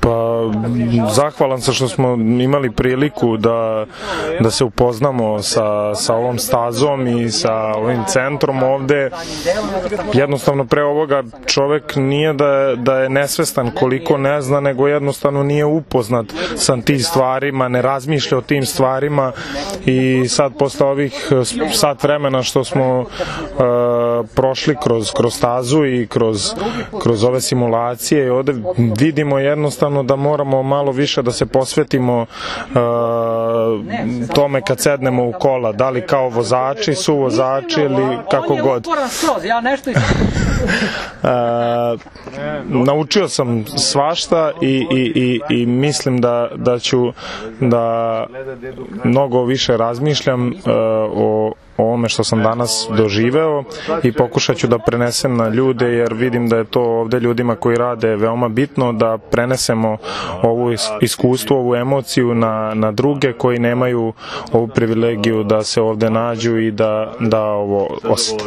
Pa, zahvalan sam što smo imali priliku da se upoznamo sa ovom stazom i sa ovim centrom ovde. Jednostavno pre ovoga čovek nije da je nesvestan koliko ne zna, nego jednostavno nije upoznat sa tim stvarima, ne razmišlja o tim stvarima i sad posle ovih sat vremena što smo prošli kroz stazu i kroz ove simulacije i ovde vidimo jednostavno da moramo malo više da se posvetimo tome kad sednemo u kola, da li kao vozači, suvozači ili kako god. Naučio sam svašta i mislim da ću da mnogo više razmišljam o ovome što sam danas doživeo i pokušat ću da prenesem na ljude, jer vidim da je to ovde ljudima koji rade veoma bitno, da prenesemo ovu iskustvo, ovu emociju na druge koji nemaju ovu privilegiju da se ovde nađu i da ovo osjete.